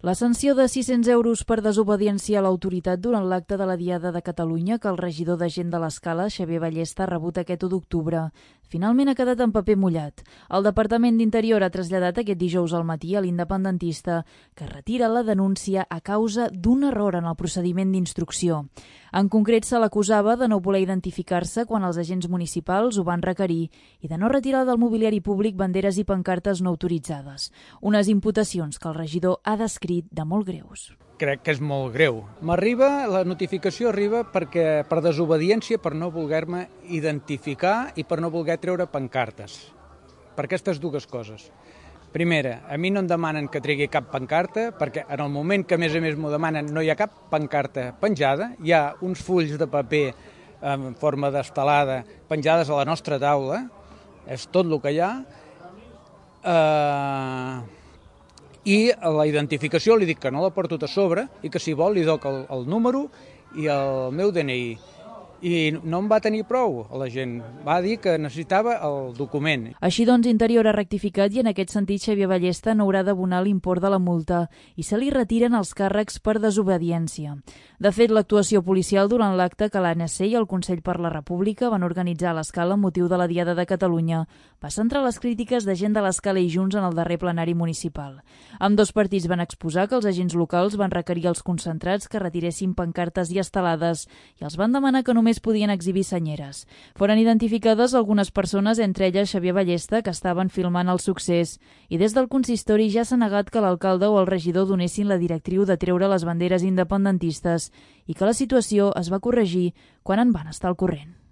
La sanció de 600 euros per desobediència a l'autoritat durant l'acte de la Diada de Catalunya que el regidor de Gent de l'Escala, Xavier Ballesta, ha rebut aquest 1 d'octubre. Finalment ha quedat en paper mullat. El Departament d'Interior ha traslladat aquest dijous al matí a l'independentista que retira la denúncia a causa d'un error en el procediment d'instrucció. En concret, se l'acusava de no voler identificar-se quan els agents municipals ho van requerir i de no retirar del mobiliari públic banderes i pancartes no autoritzades. Unes imputacions que el regidor ha descrit de molt greus. Crec que és molt greu. La notificació arriba per desobediència, per no voler-me identificar i per no voler treure pancartes. Per aquestes dues coses. Primera, a mi no em demanen que tregui cap pancarta, perquè en el moment que a més m'ho demanen no hi ha cap pancarta penjada, hi ha uns fulls de paper en forma d'estelada penjades a la nostra taula, és tot el que hi ha, i a la identificació li dic que no la porto a sobre i que si vol li doc el número i el meu DNI. I no em va tenir prou a la gent. Va dir que necessitava el document. Així doncs, Interior ha rectificat i en aquest sentit Xavier Ballesta no haurà d'abonar l'import de la multa i se li retiren els càrrecs per desobediència. De fet, l'actuació policial durant l'acte que l'ANC i el Consell per la República van organitzar a l'Escala amb motiu de la Diada de Catalunya va centrar les crítiques de Gent de l'Escala i Junts en el darrer plenari municipal. Ambdós partits van exposar que els agents locals van requerir als concentrats que retiressin pancartes i estelades i els van demanar que només podien exhibir senyeres. Foren identificades algunes persones, entre elles Xavier Ballesta, que estaven filmant el succés, i des del consistori ja s'ha negat que l'alcalde o el regidor donessin la directriu de treure les banderes independentistes i que la situació es va corregir quan en van estar al corrent.